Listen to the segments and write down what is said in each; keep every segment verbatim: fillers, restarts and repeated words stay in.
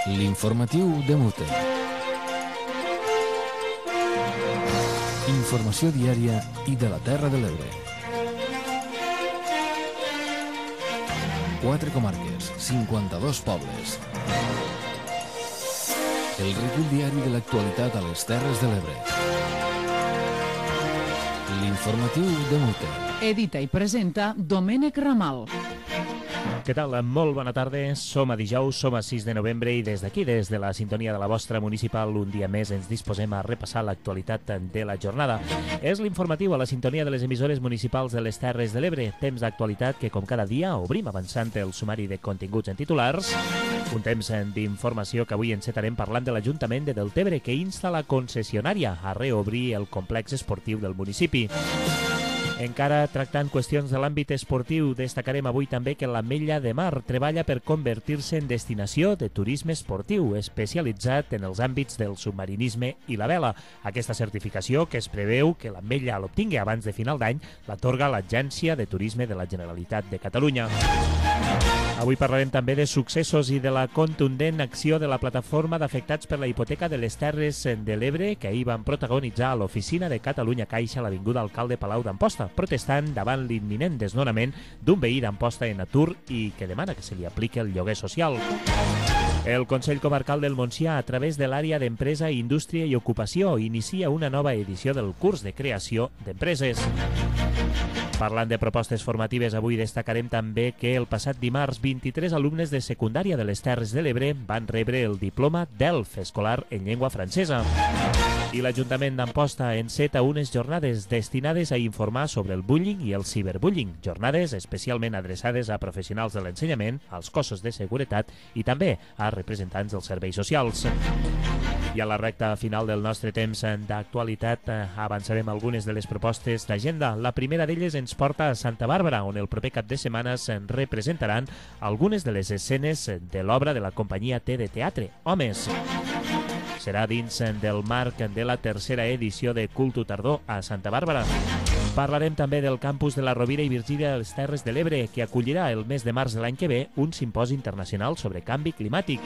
L'informatiu de Mute. Informació diària i de la Terra de l'Ebre. Quatre comarques, cinquanta-dos pobles. El recull diari de l'actualitat a les Terres de l'Ebre. L'informatiu de Mute. Edita i presenta Domènec Ramal. Què tal? Molt bona tarda. Som a dijous, som a sis de novembre i des d'aquí, des de la sintonia de la vostra municipal, un dia més ens disposem a repassar l'actualitat de la jornada. És l'informatiu a la sintonia de les emissores municipals de les Terres de l'Ebre. Temps d'actualitat que, com cada dia, obrim avançant el sumari de continguts en titulars. Un temps d'informació que avui encetarem parlant de l'Ajuntament de Deltebre, que insta la concessionària a reobrir el complex esportiu del municipi. Encara tractant qüestions de l'àmbit esportiu, destacarem avui també que l'Ametlla de Mar treballa per convertir-se en destinació de turisme esportiu, especialitzat en els àmbits del submarinisme i la vela. Aquesta certificació, que es preveu que l'Ametlla l'obtingui abans de final d'any, l'atorga l'Agència de Turisme de la Generalitat de Catalunya. Avui parlarem també de successos i de la contundent acció de la plataforma d'afectats per la hipoteca de les Terres de l'Ebre, que ahir van protagonitzar a l'oficina de Catalunya Caixa a l'Avinguda Alcalde Palau d'Amposta, protestant davant l'imminent desnonament d'un veí d'Amposta en atur i que demana que se li apliqui el lloguer social. El Consell Comarcal del Montsià, a través de l'àrea d'Empresa, Indústria i Ocupació, inicia una nova edició del curs de creació d'empreses. Parlant de propostes formatives, avui destacarem també que el passat dimarts vint-i-tres alumnes de secundària de les Terres de l'Ebre van rebre el diploma d'E L F escolar en llengua francesa. I l'Ajuntament d'Amposta enceta unes jornades destinades a informar sobre el bullying i el ciberbullying, jornades especialment adreçades a professionals de l'ensenyament, als cossos de seguretat i també a representants dels serveis socials. I a la recta final del nostre temps d'actualitat avançarem algunes de les propostes d'agenda. La primera d'elles ens porta a Santa Bàrbara, on el proper cap de setmana se'n representaran algunes de les escenes de l'obra de la companyia T de Teatre, Homes. Serà dins del marc de la tercera edició de Cultu Tardor a Santa Bàrbara. Parlarem també del campus de la Rovira i Virgínia de les Terres de l'Ebre, que acollirà el mes de març de l'any que ve un simposi internacional sobre canvi climàtic.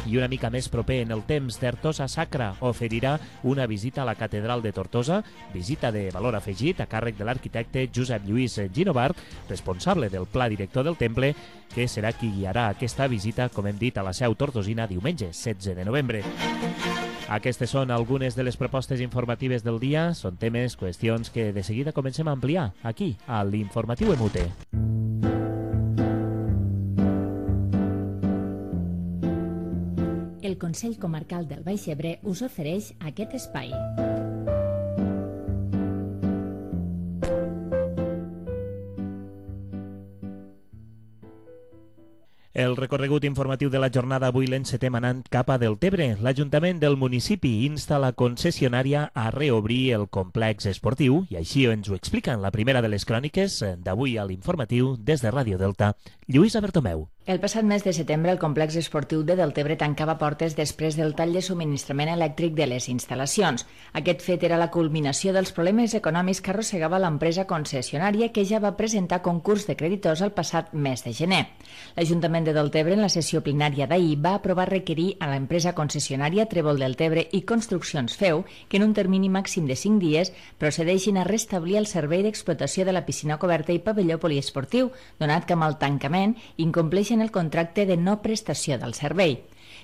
I una mica més proper en el temps, d'Artosa Sacra oferirà una visita a la Catedral de Tortosa, visita de valor afegit a càrrec de l'arquitecte Josep Lluís Ginovart, responsable del pla director del temple, que serà qui guiarà aquesta visita, com hem dit, a la seu tortosina diumenge setze de novembre. Aquestes són algunes de les propostes informatives del dia. Són temes, qüestions que de seguida comencem a ampliar aquí, a l'Informatiu M U T. El Consell Comarcal del Baix Ebre us ofereix aquest espai. El recorregut informatiu de la jornada avui l'encetem anant cap a Deltebre. L'Ajuntament del municipi insta la concessionària a reobrir el complex esportiu i així ens ho explica en la primera de les cròniques d'avui a l'informatiu des de Ràdio Delta, Lluïsa Bertomeu. El passat mes de setembre el complex esportiu de Deltebre tancava portes després del tall de subministrament elèctric de les instal·lacions. Aquest fet era la culminació dels problemes econòmics que arrossegava l'empresa concessionària, que ja va presentar concurs de creditors el passat mes de gener. L'Ajuntament de Deltebre, en la sessió plenària d'ahir, va aprovar requerir a l'empresa concessionària Trèvol Deltebre i Construccions Feu que en un termini màxim de cinc dies procedeixin a restablir el servei d'explotació de la piscina coberta i pavelló poliesportiu, donat que amb el tancament incompleixen el contracte de no prestació del servei.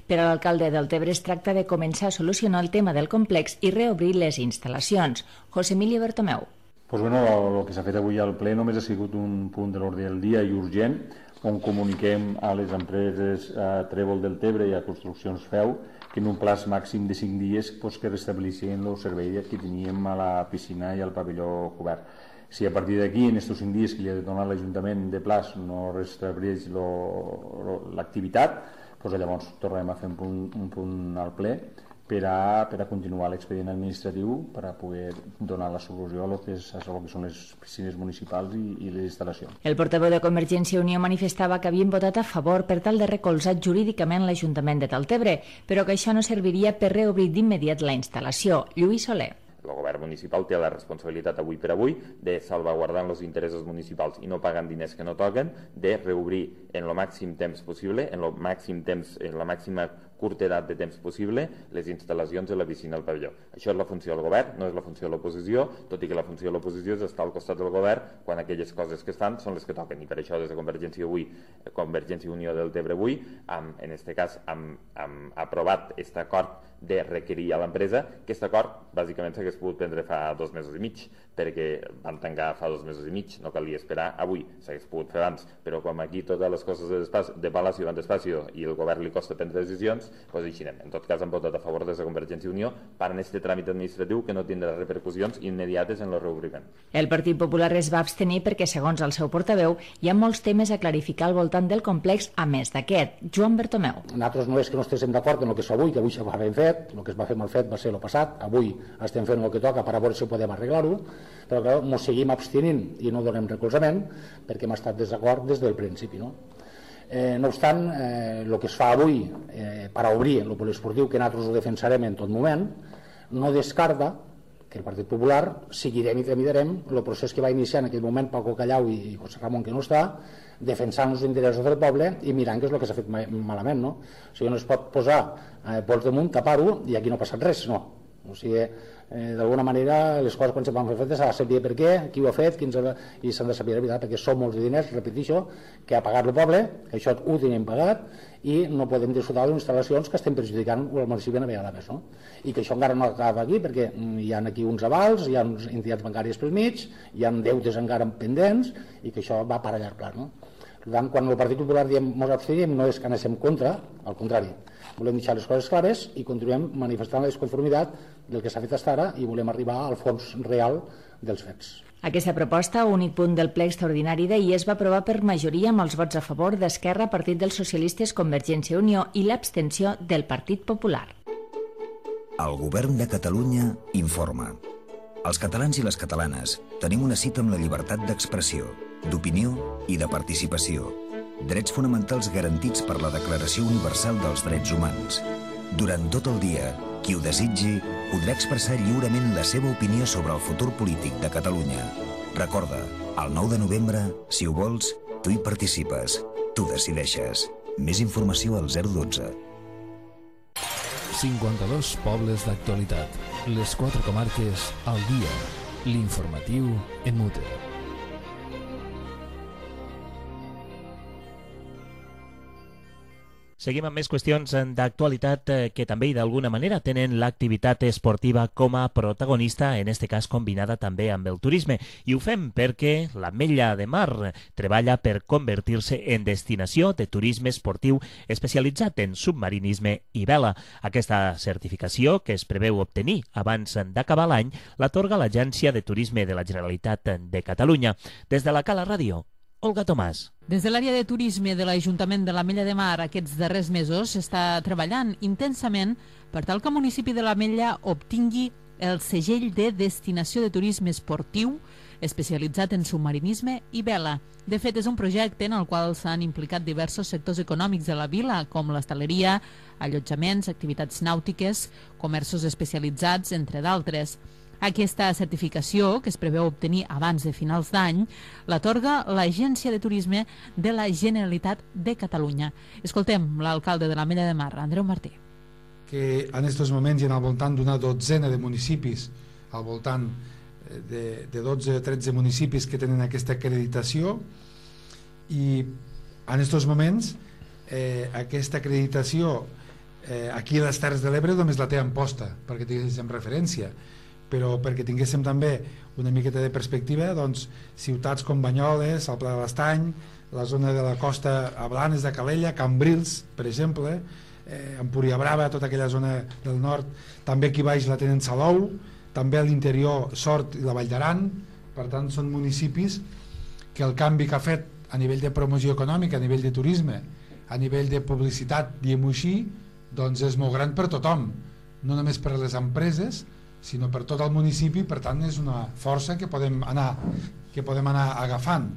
Per a l'alcalde de Deltebre es tracta de començar a solucionar el tema del complex i reobrir les instal·lacions. José Emilio Bertomeu. Pues bueno, el que s'ha fet avui al ple només ha sigut un punt de l'ordre del dia i urgent, on comuniquem a les empreses a Trèvol Deltebre i a Construccions Feu que en un plaç màxim de cinc dies pues, que restableixin el servei que teníem a la piscina i al pavelló cobert. Si a partir d'aquí, en aquests cinc dies que li ha donat l'Ajuntament de plaç, no restableix l'activitat, doncs llavors tornarem a fer un punt, un punt al ple per a, per a continuar l'expedient administratiu per a poder donar la solució a lo que, és, a lo que són les piscines municipals i, i les instal·lacions. El portaveu de Convergència i Unió manifestava que havien votat a favor per tal de recolzar jurídicament l'Ajuntament de Deltebre, però que això no serviria per reobrir d'immediat la instal·lació. Lluís Soler. El govern municipal té la responsabilitat avui per avui de salvaguardar els interessos municipals i no pagant diners que no toquen, de reobrir en el màxim temps possible, en el màxim temps, en la màxima curta de temps possible les instal·lacions de la piscina al pavelló. Això és la funció del govern, no és la funció de l'oposició, tot i que la funció de l'oposició és estar al costat del govern quan aquelles coses que es fan són les que toquen, i per això des de Convergència avui, Convergència i Unió del Tebre avui, amb, en aquest cas, hem, hem aprovat aquest acord de requerir a l'empresa, que aquest acord bàsicament s'hagués pogut prendre fa dos mesos i mig, perquè van tancar fa dos mesos i mig, no calia esperar avui, s'hagués pogut fer abans, però com aquí totes les coses de, de Palacio van despacio i el govern li costa prendre decisions, doncs així anem. En tot cas hem votat a favor des de Convergència i Unió per en aquest tràmit administratiu que no tindrà repercussions immediates en el reobriment. El Partit Popular es va abstenir perquè, segons el seu portaveu, hi ha molts temes a clarificar al voltant del complex, a més d'aquest. Joan Bertomeu. Nosaltres no és que no estiguem d'acord en el que és avui, que avui se va ben fet, el que es va fer mal fet va ser el passat, avui estem fent el que toca per a veure si podem arreglar-ho, però clar, ens seguim abstenint i no donem recolzament perquè hem estat desacord des del principi, no? Eh, no obstant, eh, el que es fa avui eh, per a obrir el poliesportiu, que nosaltres ho defensarem en tot moment, no descarta que el Partit Popular seguirem i tramitarem el procés que va iniciar en aquell moment Paco Callau i José Ramon, que no està, defensant els interessos del poble i mirant què és el que s'ha fet malament, no? O sigui, no es pot posar eh, pols damunt, tapar-ho i aquí no ha passat res, no. O sigui, eh, d'alguna manera les coses quan se van fer fetes s'ha de saber per què, qui ho ha fet, quins, i s'han de saber la veritat, perquè són molts diners, repeteixo, que ha pagat el poble, que això ho tenim pagat i no podem disfrutar d'instal·lacions que estem perjudicant el municipi una vegada més, no? I que això encara no acaba aquí perquè hi ha aquí uns avals, hi ha uns entitats bancàries pel mig, hi ha deutes encara pendents i que això va per a llarg pla, no? Per tant, quan el Partit Popular diem ens abstenim, no és que anéssim contra, al contrari, volem deixar les coses clares i continuem manifestant la desconformitat del que s'ha fet fins ara i volem arribar al fons real dels fets. Aquesta proposta, únic punt del ple extraordinari d'ahir, es va aprovar per majoria amb els vots a favor d'Esquerra, Partit dels Socialistes, Convergència i Unió i l'abstenció del Partit Popular. El Govern de Catalunya informa. Els catalans i les catalanes tenim una cita amb la llibertat d'expressió, d'opinió i de participació. Drets fonamentals garantits per la Declaració Universal dels Drets Humans. Durant tot el dia, qui ho desitgi podrà expressar lliurement la seva opinió sobre el futur polític de Catalunya. Recorda, el nou de novembre, si ho vols, tu hi participes, tu decideixes. Més informació al zero dotze. cinquanta-dos pobles d'actualitat. Les quatre comarques al dia. L'informatiu en mute. Seguim amb més qüestions d'actualitat que també i d'alguna manera tenen l'activitat esportiva com a protagonista, en este cas combinada també amb el turisme. I ho fem perquè l'Ametlla de Mar treballa per convertir-se en destinació de turisme esportiu especialitzat en submarinisme i vela. Aquesta certificació, que es preveu obtenir abans d'acabar l'any, l'atorga l'Agència de Turisme de la Generalitat de Catalunya. Des de la Cala Ràdio, Olga Tomàs. Des de l'àrea de turisme de l'Ajuntament de l'Ametlla de Mar aquests darrers mesos s'està treballant intensament per tal que el municipi de l'Ametlla obtingui el segell de destinació de turisme esportiu especialitzat en submarinisme i vela. De fet, és un projecte en el qual s'han implicat diversos sectors econòmics de la vila, com l'hostaleria, allotjaments, activitats nàutiques, comerços especialitzats, entre d'altres. Aquesta certificació, que es preveu obtenir abans de finals d'any, l'atorga l'Agència de Turisme de la Generalitat de Catalunya. Escoltem l'alcalde de l'Ametlla de Mar, Andreu Martí. Que en aquests moments hi ha al voltant d'una dotzena de municipis, al voltant de, de dotze o tretze municipis que tenen aquesta acreditació, i en aquests moments eh, aquesta acreditació eh, aquí a les Terres de l'Ebre només la té en posta, perquè tinguéssim referència, però perquè tinguéssim també una miqueta de perspectiva, doncs, ciutats com Banyoles, el Pla de l'Estany, la zona de la costa a Blanes de Calella, Cambrils, per exemple, eh, Empúria Brava, tota aquella zona del nord, també aquí baix la tenen Salou, també a l'interior Sort i la Vall d'Aran. Per tant, són municipis que el canvi que ha fet a nivell de promoció econòmica, a nivell de turisme, a nivell de publicitat, diguem-ho així, doncs és molt gran per tothom, no només per les empreses, sinó per tot el municipi. Per tant, és una força que podem anar, que podem anar agafant.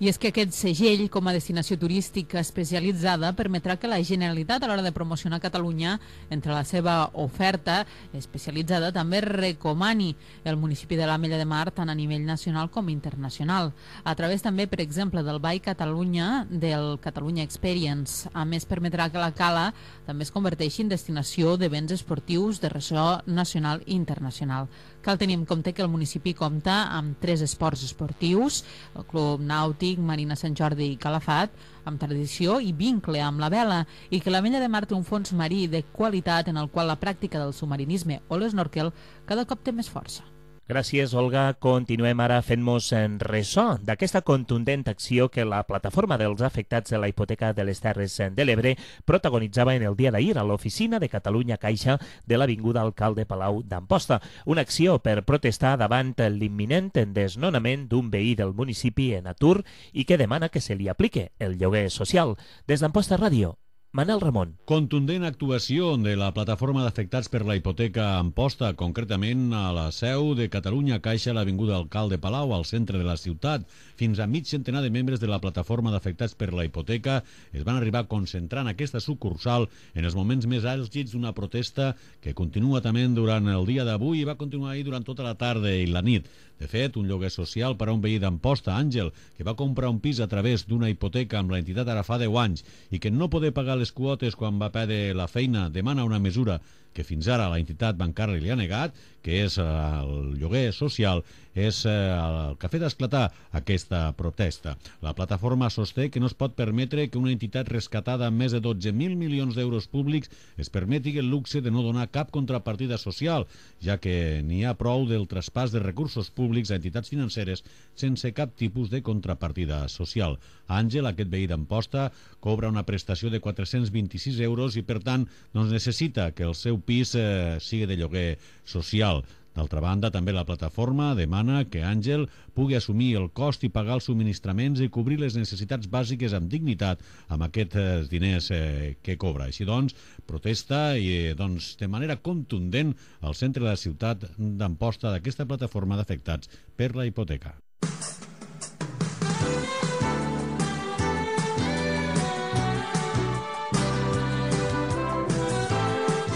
I és que aquest segell, com a destinació turística especialitzada, permetrà que la Generalitat, a l'hora de promocionar Catalunya, entre la seva oferta especialitzada, també recomani el municipi de l'Ametlla de Mar tant a nivell nacional com internacional. A través també, per exemple, del By Catalunya, del Catalunya Experience. A més, permetrà que la Cala també es converteixi en destinació d'events esportius de ressò nacional i internacional. Cal tenir en compte que el municipi compta amb tres esports esportius, el Club Nàutic, Marina Sant Jordi i Calafat, amb tradició i vincle amb la vela, i que l'Ametlla de Mar té un fons marí de qualitat en el qual la pràctica del submarinisme o l'esnorquel cada cop té més força. Gràcies, Olga. Continuem ara fent-nos en ressò d'aquesta contundent acció que la plataforma dels afectats de la hipoteca de les Terres de l'Ebre protagonitzava en el dia d'ahir a l'oficina de Catalunya Caixa de l'Avinguda Alcalde Palau d'Amposta. Una acció per protestar davant l'imminent desnonament d'un veí del municipi en atur i que demana que se li aplique el lloguer social. Des d'Amposta Ràdio, Manel Ramon. Contundent actuació de la plataforma d'afectats per la hipoteca a Amposta, concretament a la seu de Catalunya Caixa a l'Avinguda Alcalde Palau, al centre de la ciutat. Fins a mig centenar de membres de la plataforma d'afectats per la hipoteca es van arribar a concentrar en aquesta sucursal en els moments més àlgids d'una protesta que continua també durant el dia d'avui i va continuar ahir durant tota la tarda i la nit. De fet, un lloguer social per a un veí d'Amposta, Àngel, que va comprar un pis a través d'una hipoteca amb l'entitat ara fa deu anys i que no poder pagar les quotes quan va perdre la feina, demana una mesura que fins ara la entitat bancària li ha negat, que és el lloguer social, és el que ha fet esclatar aquesta protesta. La plataforma sosté que no es pot permetre que una entitat rescatada amb més de dotze mil milions d'euros públics es permeti el luxe de no donar cap contrapartida social, ja que n'hi ha prou del traspàs de recursos públics a entitats financeres sense cap tipus de contrapartida social. Àngel, aquest veí d'Amposta, cobra una prestació de quatre-cents vint-i-sis euros i, per tant, doncs necessita que el seu pis eh, sigui de lloguer social. D'altra banda, també la plataforma demana que Àngel pugui assumir el cost i pagar els subministraments i cobrir les necessitats bàsiques amb dignitat amb aquests diners eh, que cobra. Així doncs, protesta i eh, doncs, de manera contundent al centre de la ciutat d'Amposta d'aquesta plataforma d'afectats per la hipoteca.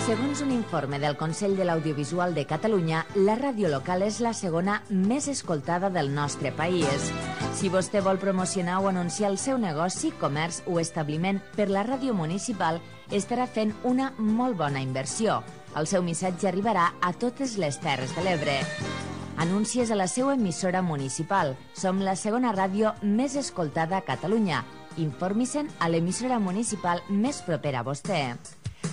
Segons un informe del Consell de l'Audiovisual de Catalunya, la ràdio local és la segona més escoltada del nostre país. Si vostè vol promocionar o anunciar el seu negoci, comerç o establiment per la ràdio municipal, estarà fent una molt bona inversió. El seu missatge arribarà a totes les Terres de l'Ebre. Anuncies a la seva emissora municipal. Som la segona ràdio més escoltada a Catalunya. Informi-se'n a l'emissora municipal més propera a vostè.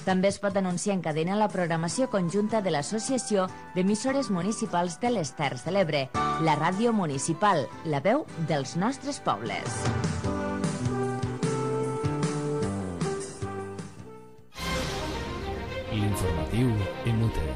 També es pot anunciar en cadena la programació conjunta de l'Associació d'Emissores Municipals de les Terres de l'Ebre, la ràdio municipal, la veu dels nostres pobles. L'informatiu en Mute.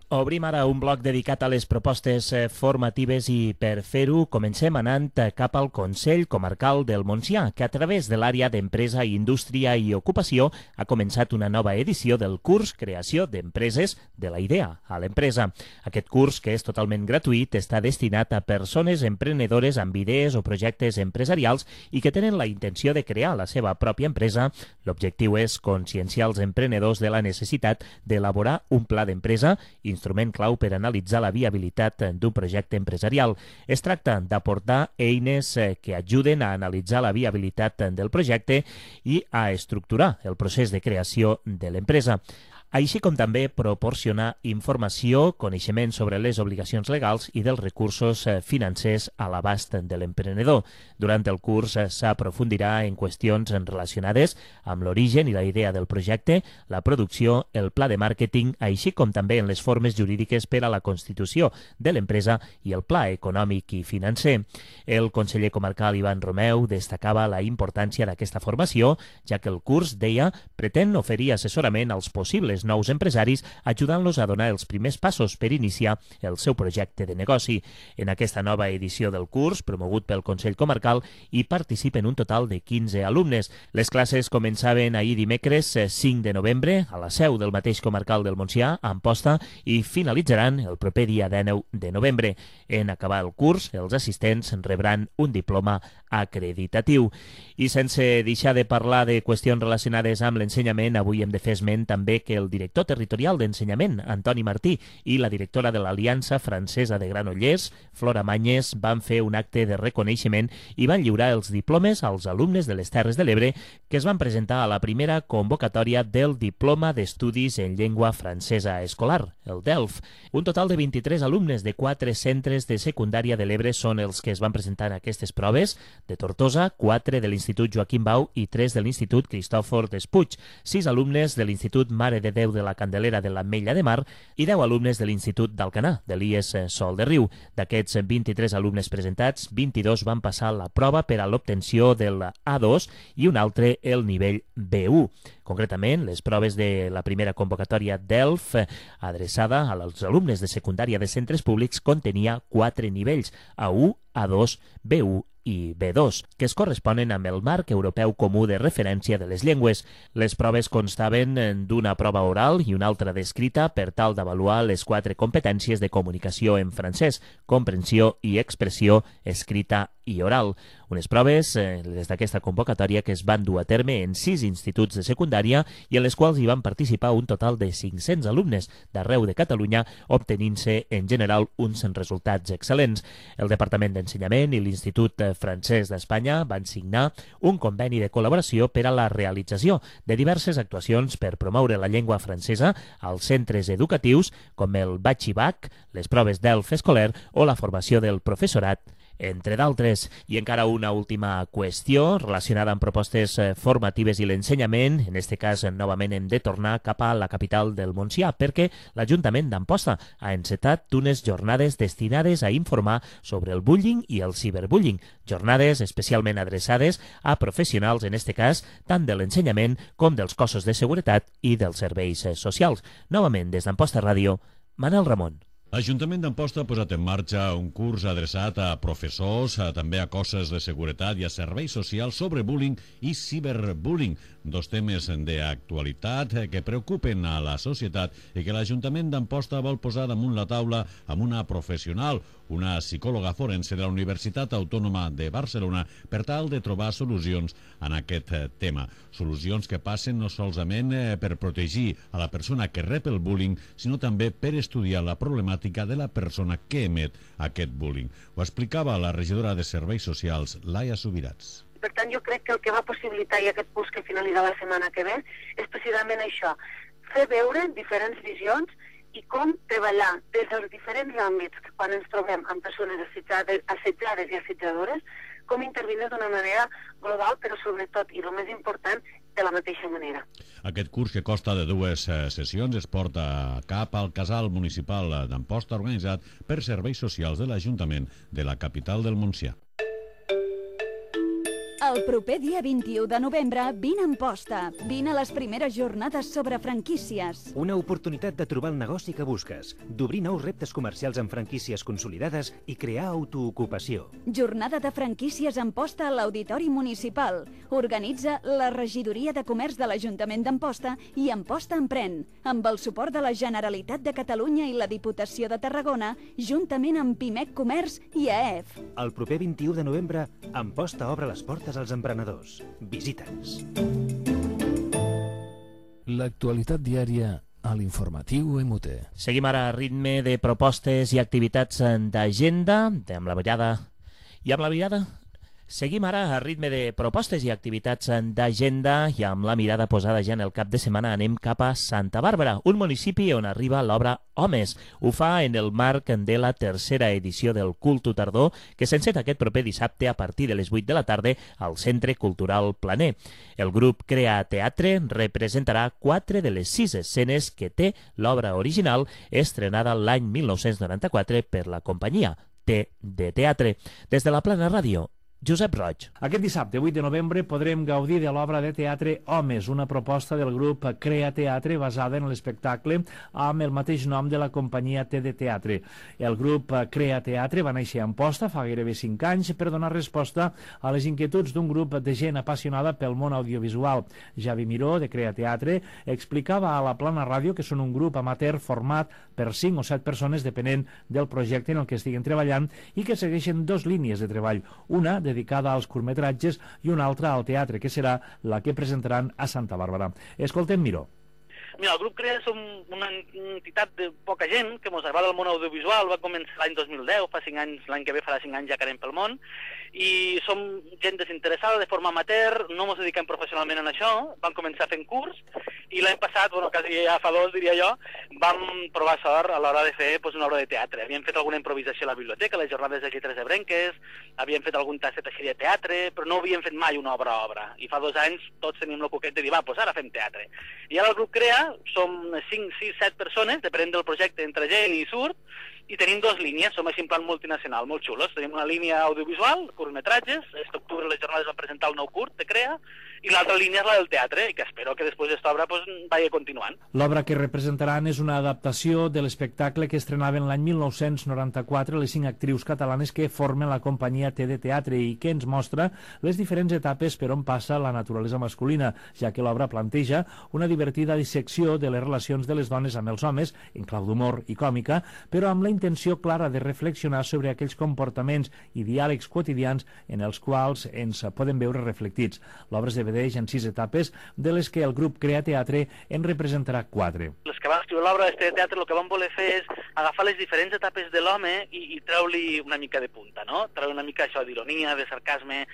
Obrim ara un bloc dedicat a les propostes formatives i per fer-ho comencem anant cap al Consell Comarcal del Montsià, que a través de l'àrea d'Empresa, Indústria i Ocupació ha començat una nova edició del curs Creació d'Empreses de la idea a l'empresa. Aquest curs, que és totalment gratuït, està destinat a persones emprenedores amb idees o projectes empresarials i que tenen la intenció de crear la seva pròpia empresa. L'objectiu és conscienciar els emprenedors de la necessitat d'elaborar un pla d'empresa, instrument clau per analitzar la viabilitat d'un projecte empresarial. Es tracta d'aportar eines que ajuden a analitzar la viabilitat del projecte i a estructurar el procés de creació de l'empresa, així com també proporcionar informació, coneixement sobre les obligacions legals i dels recursos financers a l'abast de l'emprenedor. Durant el curs s'aprofundirà en qüestions relacionades amb l'origen i la idea del projecte, la producció, el pla de màrqueting, així com també en les formes jurídiques per a la constitució de l'empresa i el pla econòmic i financer. El conseller comarcal Ivan Romeu destacava la importància d'aquesta formació, ja que el curs, deia, pretén oferir assessorament als possibles aquests nous empresaris, ajudant-los a donar els primers passos per iniciar el seu projecte de negoci. En aquesta nova edició del curs, promogut pel Consell Comarcal, hi participen un total de quinze alumnes. Les classes començaven ahir dimecres cinc de novembre a la seu del mateix comarcal del Montsià, a Amposta, i finalitzaran el proper dia dinou de novembre. En acabar el curs, els assistents rebran un diploma acreditatiu. I sense deixar de parlar de qüestions relacionades amb l'ensenyament, avui hem de fer esment també que el director territorial d'ensenyament, Antoni Martí, i la directora de l'Aliança Francesa de Granollers, Flora Manyes, van fer un acte de reconeixement i van lliurar els diplomes als alumnes de les Terres de l'Ebre que es van presentar a la primera convocatòria del Diploma d'Estudis en Llengua Francesa Escolar, el D E L F. Un total de vint-i-tres alumnes de quatre centres de secundària de l'Ebre són els que es van presentar en aquestes proves: de Tortosa, quatre de l'Institut Joaquim Bau i tres de l'Institut Cristòfor Despuig, sis alumnes de l'Institut Mare de Déu de la Candelera de l'Ametlla de Mar i deu alumnes de l'Institut d'Alcanar, de l'I E S Sol de Riu. D'aquests vint-i-tres alumnes presentats, vint-i-dos van passar la prova per a l'obtenció del A dos i un altre el nivell B u. Concretament, les proves de la primera convocatòria D E L F, adreçada als alumnes de secundària de centres públics, contenia quatre nivells, A u, A dos, B u i B dos, que es corresponen amb el marc europeu comú de referència de les llengües. Les proves constaven d'una prova oral i una altra d'escrita per tal d'avaluar les quatre competències de comunicació en francès, comprensió i expressió escrita i oral. Unes proves, eh, des d'aquesta convocatòria, que es van dur a terme en sis instituts de secundària i en les quals hi van participar un total de cinc-cents alumnes d'arreu de Catalunya, obtenint-se en general uns resultats excel·lents. El Departament d'Ensenyament i l'Institut Francès d'Espanya van signar un conveni de col·laboració per a la realització de diverses actuacions per promoure la llengua francesa als centres educatius, com el Batxibac, les proves D E L F escolar o la formació del professorat, entre d'altres. I encara una última qüestió relacionada amb propostes formatives i l'ensenyament. En aquest cas, novament hem de tornar cap a la capital del Montsià, perquè l'Ajuntament d'Amposta ha encetat unes jornades destinades a informar sobre el bullying i el ciberbullying, jornades especialment adreçades a professionals, en aquest cas, tant de l'ensenyament com dels cossos de seguretat i dels serveis socials. Novament, des d'Amposta Ràdio, Manel Ramon. L'Ajuntament d'Amposta ha posat en marxa un curs adreçat a professors, a, també a cossos de seguretat i a serveis socials sobre bullying i ciberbullying, dos temes d'actualitat que preocupen a la societat i que l'Ajuntament d'Amposta vol posar damunt la taula amb una professional, una psicòloga forense de la Universitat Autònoma de Barcelona, per tal de trobar solucions en aquest tema. Solucions que passen no solament per protegir a la persona que rep el bullying, sinó també per estudiar la problemàtica de la persona que emet aquest bullying. Ho explicava la regidora de Serveis Socials, Laia Subirats. Per tant, jo crec que el que va possibilitar i aquest curs que finalitzarà la setmana que ve és precisament això, fer veure diferents visions i com treballar des dels diferents àmbits quan ens trobem amb persones assetjades, assetjades i assetjadores, com intervindre d'una manera global, però sobretot, i el més important, de la mateixa manera. Aquest curs, que consta de dues sessions, es porta cap al casal municipal d'Amposta, organitzat per Serveis Socials de l'Ajuntament de la capital del Montsià. El proper dia vint-i-u de novembre, vine a Amposta. Vine a les primeres jornades sobre franquícies. Una oportunitat de trobar el negoci que busques, d'obrir nous reptes comercials amb franquícies consolidades i crear autoocupació. Jornada de franquícies a Amposta a l'Auditori Municipal. Organitza la Regidoria de Comerç de l'Ajuntament d'Amposta i Amposta Emprèn, amb el suport de la Generalitat de Catalunya i la Diputació de Tarragona, juntament amb Pimec Comerç i A E F. El proper vint-i-u de novembre, Amposta obre les portes als emprenedors. Visita'ns. L'actualitat diària a l'informatiu M U T. Seguim ara a ritme de propostes i activitats d'agenda, amb la mirada... I amb la mirada... Seguim ara a ritme de propostes i activitats d'agenda i amb la mirada posada ja en el cap de setmana anem cap a Santa Bàrbara, un municipi on arriba l'obra Homes. Ho fa en el marc de la tercera edició del Culto Tardor, que s'enceta aquest proper dissabte a partir de les vuit de la tarda al Centre Cultural Planer. El grup Crea Teatre representarà quatre de les sis escenes que té l'obra original, estrenada l'any mil nou-cents noranta-quatre per la companyia T de Teatre. Des de la Plana Ràdio, Josep Roig. Aquest dissabte, vuit de novembre, podrem gaudir de l'obra de teatre Homes, una proposta del grup Crea Teatre basada en l'espectacle amb el mateix nom de la companyia T de Teatre. El grup Crea Teatre va néixer a Amposta fa gairebé cinc anys per donar resposta a les inquietuds d'un grup de gent apassionada pel món audiovisual. Javi Miró, de Crea Teatre, explicava a la Plana Ràdio que són un grup amateur format per cinc o set persones depenent del projecte en el que estiguen treballant i que segueixen dos línies de treball, una dedicada als curtmetratges i una altra al teatre, que serà la que presentaran a Santa Bàrbara. Escoltem Miró. Mira, el grup Crea som una entitat de poca gent que ens agrada el món audiovisual. Va començar l'any dos mil deu, fa cinc anys, l'any que ve farà cinc anys ja que anem pel món, i som gent desinteressada de forma amateur, no ens dediquem professionalment en això, vam començar fent curs, i l'any passat, bueno, quasi ja fa dos, diria jo, vam provar sort a l'hora de fer pues, una obra de teatre. Havíem fet alguna improvisació a la biblioteca, les jornades de lletres ebrenques, havíem fet algun tastet així de teatre, però no havíem fet mai una obra a obra, i fa dos anys tots teníem el coquet de dir, va, doncs ara fem teatre. I ara el grup Crea som cinc, sis, set persones, depenent del projecte, entre gent i surt, i tenim dues línies, som així en plan multinacional, molt xulos. Tenim una línia audiovisual, curtmetratges, aquest octubre les jornades van presentar el nou curt de Crea, i l'altra línia és la del teatre, i que espero que després d'esta obra pues, vagi continuant. L'obra que representaran és una adaptació de l'espectacle que estrenaven l'any mil nou-cents noranta-quatre les cinc actrius catalanes que formen la companyia T de Teatre i que ens mostra les diferents etapes per on passa la naturalesa masculina, ja que l'obra planteja una divertida dissecció de les relacions de les dones amb els homes, en clau d'humor i còmica, però amb la intenció clara de reflexionar sobre aquells comportaments i diàlegs quotidians en els quals ens poden veure reflectits. L'obra es divideix en sis etapes, de les que el grup Crea Teatre en representarà quatre. Els que van escriure l'obra de teatre el que van voler fer és agafar les diferents etapes de l'home i, i treu-li una mica de punta, no? Treure una mica això d'ironia, de sarcasme.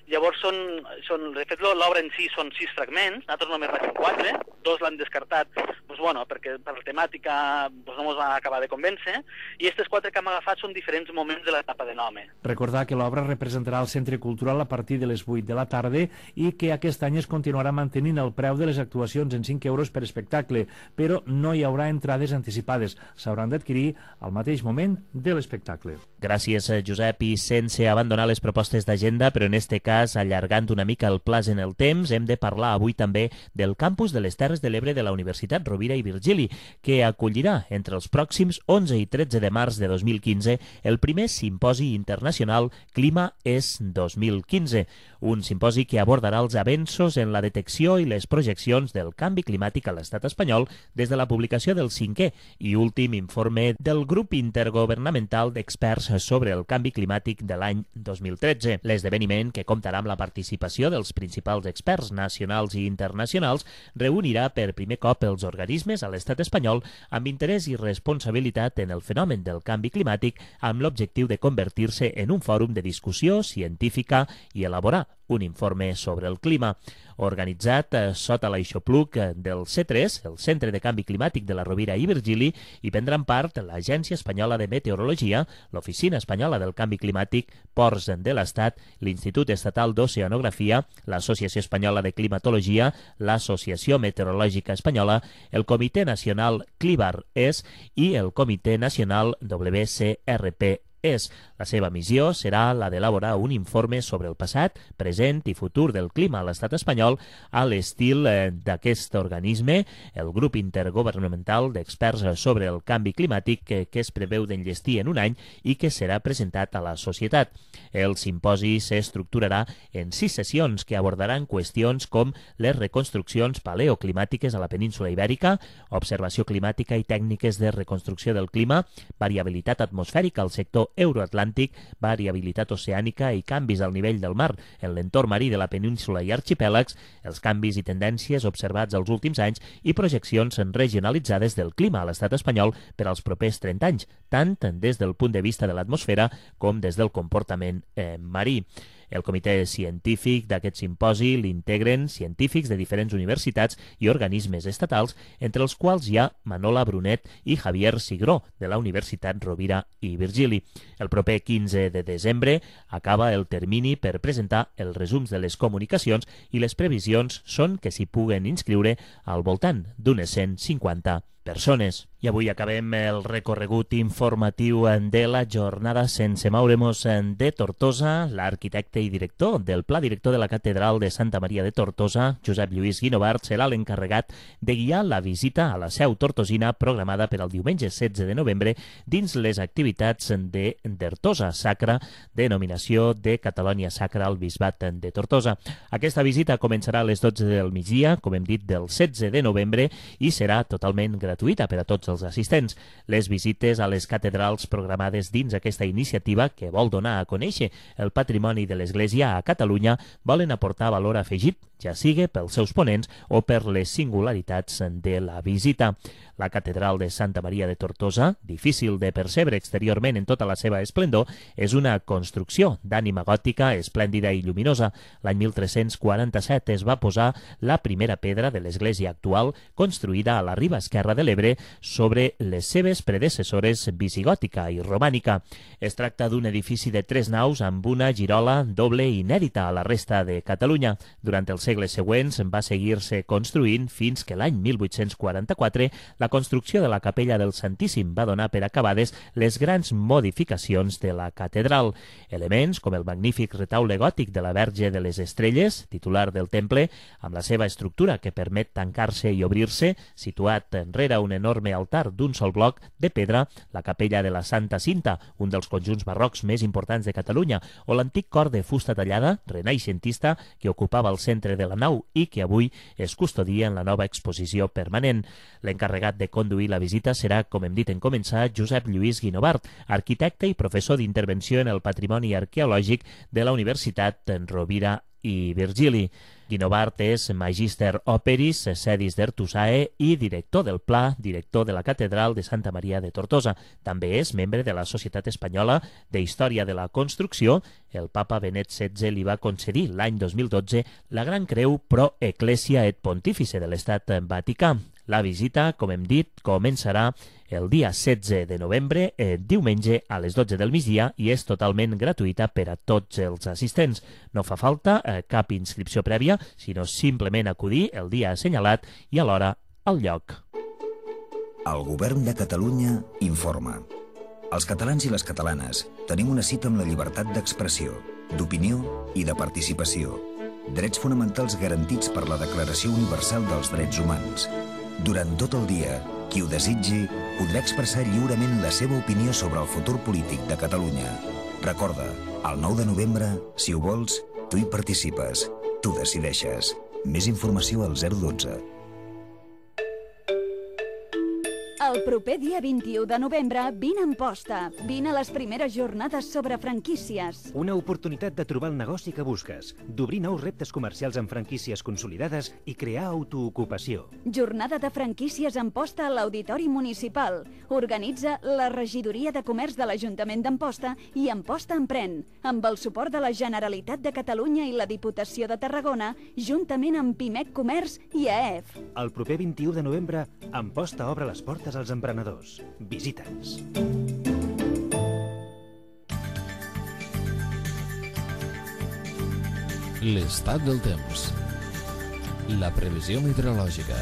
Llavors, són, són, de fet, l'obra en si són sis fragments, nosaltres només n'hem fet quatre, dos l'han descartat, doncs, bueno, perquè per la temàtica doncs, no ens va acabar de convèncer, i aquests quatre que hem agafat són diferents moments de l'etapa de l'home. Recordar que l'obra representarà al Centre Cultural a partir de les vuit de la tarda i que aquest any es continuarà mantenint el preu de les actuacions en cinc euros per espectacle, però no hi haurà entrades anticipades, s'hauran d'adquirir al mateix moment de l'espectacle. Gràcies, Josep, i sense abandonar les propostes d'agenda, però en este cas allargant una mica el plaç en el temps, hem de parlar avui també del campus de les Terres de l'Ebre de la Universitat Rovira i Virgili, que acollirà entre els pròxims onze i tretze de març de dos mil quinze el primer simposi internacional Clima és dos mil quinze, un simposi que abordarà els avenços en la detecció i les projeccions del canvi climàtic a l'estat espanyol des de la publicació del cinquè i últim informe del grup intergovernamental d'experts sobre el canvi climàtic de l'any dos mil tretze. L'esdeveniment, que comptarà amb la participació dels principals experts nacionals i internacionals, reunirà per primer cop els organismes a l'estat espanyol amb interès i responsabilitat en el fenomen del canvi climàtic, amb l'objectiu de convertir-se en un fòrum de discussió científica i elaborar un informe sobre el clima. Organitzat eh, sota l'aixopluc del C tres, el Centre de Canvi Climàtic de la Rovira i Virgili, hi prendran part l'Agència Espanyola de Meteorologia, l'Oficina Espanyola del Canvi Climàtic, Ports de l'Estat, l'Institut Estatal d'Oceanografia, l'Associació Espanyola de Climatologia, l'Associació Meteorològica Espanyola, el Comitè Nacional CLIBAR-E S i el Comitè Nacional W C R P és. La seva missió serà la d'elaborar un informe sobre el passat, present i futur del clima a l'estat espanyol a l'estil d'aquest organisme, el grup intergovernamental d'experts sobre el canvi climàtic que, que es preveu d'enllestir en un any i que serà presentat a la societat. El simposi s'estructurarà en sis sessions que abordaran qüestions com les reconstruccions paleoclimàtiques a la península ibèrica, observació climàtica i tècniques de reconstrucció del clima, variabilitat atmosfèrica al sector euroatlàntic, variabilitat oceànica i canvis al nivell del mar en l'entorn marí de la península i arxipèlags, els canvis i tendències observats els últims anys i projeccions regionalitzades del clima a l'estat espanyol per als propers trenta anys, tant des del punt de vista de l'atmosfera com des del comportament eh, marí. El comitè científic d'aquest simposi l'integren científics de diferents universitats i organismes estatals, entre els quals hi ha Manola Brunet i Javier Sigró, de la Universitat Rovira i Virgili. El proper quinze de desembre acaba el termini per presentar els resums de les comunicacions i les previsions són que s'hi puguen inscriure al voltant d'unes cent cinquanta persones. I avui acabem el recorregut informatiu de la jornada sense moure'ns de Tortosa. L'arquitecte i director del Pla Director de la Catedral de Santa Maria de Tortosa, Josep Lluís Guinovart, serà l'encarregat de guiar la visita a la seu tortosina programada per al diumenge setze de novembre dins les activitats de Dertosa Sacra, denominació de Catalònia Sacra al Bisbat de Tortosa. Aquesta visita començarà a les dotze del migdia, com hem dit, del setze de novembre, i serà totalment gratuïta per a tots els assistents. Les visites a les catedrals programades dins aquesta iniciativa, que vol donar a conèixer el patrimoni de l'Església a Catalunya, volen aportar valor afegit, ja sigui pels seus ponents o per les singularitats de la visita. La catedral de Santa Maria de Tortosa, difícil de percebre exteriorment en tota la seva esplendor, és una construcció d'ànima gòtica esplèndida i lluminosa. L'any mil tres-cents quaranta-set es va posar la primera pedra de l'església actual, construïda a la riba esquerra de l'Ebre sobre les seves predecessores visigòtica i romànica. Es tracta d'un edifici de tres naus amb una girola doble inèdita a la resta de Catalunya. Durant els segles següents va seguir-se construint fins que l'any mil vuit-cents quaranta-quatre la construcció de la capella del Santíssim va donar per acabades les grans modificacions de la catedral. Elements com el magnífic retaule gòtic de la Verge de les Estrelles, titular del temple, amb la seva estructura que permet tancar-se i obrir-se, situat enrere un enorme altar d'un sol bloc de pedra, la capella de la Santa Cinta, un dels conjunts barrocs més importants de Catalunya, o l'antic cor de fusta tallada, renaixentista, que ocupava el centre de la nau i que avui es custodia en la nova exposició permanent. L'encarregat de conduir la visita serà, com hem dit en començar, Josep Lluís Guinovart, arquitecte i professor d'intervenció en el patrimoni arqueològic de la Universitat Rovira i Virgili. Guinovart és Magister Operis Sedis d'Ertusae i director del Pla, director de la Catedral de Santa Maria de Tortosa. També és membre de la Societat Espanyola de Història de la Construcció. El papa Benet setze li va concedir l'any dos mil dotze la Gran Creu Pro Ecclesia et Pontifice de l'Estat Vaticà. La visita, com hem dit, començarà el dia setze de novembre, eh, diumenge a les dotze del migdia, i és totalment gratuïta per a tots els assistents. No fa falta eh, cap inscripció prèvia, sinó simplement acudir el dia assenyalat i alhora al lloc. El Govern de Catalunya informa. Els catalans i les catalanes tenim una cita amb la llibertat d'expressió, d'opinió i de participació. Drets fonamentals garantits per la Declaració Universal dels Drets Humans. Durant tot el dia, qui ho desitgi podrà expressar lliurement la seva opinió sobre el futur polític de Catalunya. Recorda, el nou de novembre, si ho vols, tu hi participes, tu decideixes. Més informació al zero dotze. El proper dia vint-i-u de novembre, vine a Amposta. Vine a les primeres jornades sobre franquícies. Una oportunitat de trobar el negoci que busques, d'obrir nous reptes comercials amb franquícies consolidades i crear autoocupació. Jornada de franquícies a Amposta a l'Auditori Municipal. Organitza la Regidoria de Comerç de l'Ajuntament d'Amposta i Amposta Emprèn, amb el suport de la Generalitat de Catalunya i la Diputació de Tarragona, juntament amb Pimec Comerç i A E F. El proper vint-i-u de novembre, Amposta obre les portes als emprenedors. Visita'ns. L'estat del temps. La previsió meteorològica.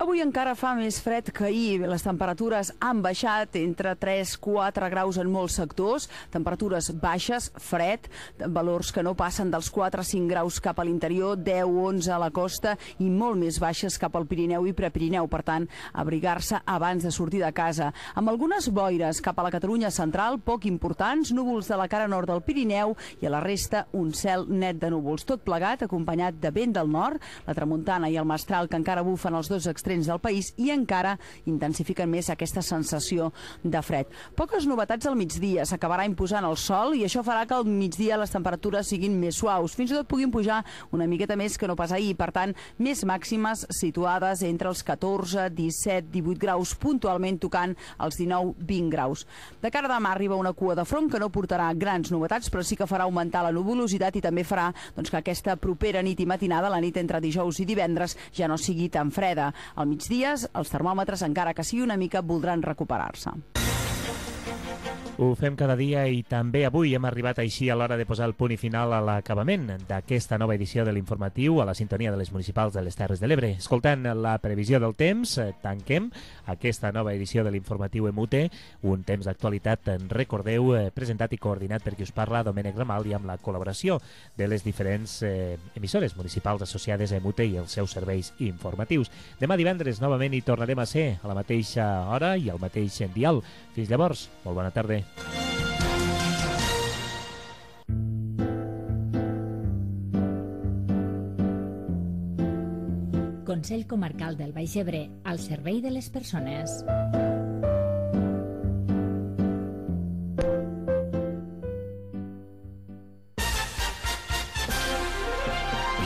Avui encara fa més fred que ahir. Les temperatures han baixat entre tres a quatre graus en molts sectors. Temperatures baixes, fred, valors que no passen dels quatre a cinc graus cap a l'interior, deu a onze a la costa i molt més baixes cap al Pirineu i Prepirineu. Per tant, abrigar-se abans de sortir de casa. Amb algunes boires cap a la Catalunya central, poc importants, núvols de la cara nord del Pirineu i a la resta un cel net de núvols. Tot plegat, acompanyat de vent del nord, la tramuntana i el mestral que encara bufen els dos extrems del país i encara intensifiquen més aquesta sensació de fred. Poques novetats al migdia, s'acabarà imposant el sol i això farà que al migdia les temperatures siguin més suaus, fins i tot puguin pujar una miqueta més que no pas ahir, per tant, més màximes situades entre els catorze, disset, divuit graus, puntualment tocant els dinou a vint graus. De cara a demà arriba una cua de front que no portarà grans novetats, però sí que farà augmentar la nuvolositat i també farà doncs, que aquesta propera nit i matinada, la nit entre dijous i divendres, ja no sigui tan freda. Al migdia, els termòmetres, encara que sigui una mica, voldran recuperar-se. Ho fem cada dia i també avui hem arribat així a l'hora de posar el punt i final a l'acabament d'aquesta nova edició de l'informatiu a la sintonia de les municipals de les Terres de l'Ebre. Escoltant la previsió del temps, tanquem aquesta nova edició de l'informatiu M U T, un temps d'actualitat, recordeu, presentat i coordinat per qui us parla, Domènec Ramal, i amb la col·laboració de les diferents eh, emissores municipals associades a M U T i els seus serveis informatius. Demà divendres novament hi tornarem a ser a la mateixa hora i al mateix dial. Fins llavors, molt bona tarda. Consell Comarcal del Baix Ebre, al servei de les persones.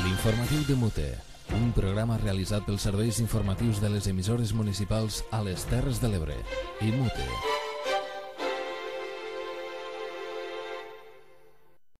L'informatiu de M U T, un programa realitzat pels serveis informatius de les emissores municipals a les Terres de l'Ebre. I M U T.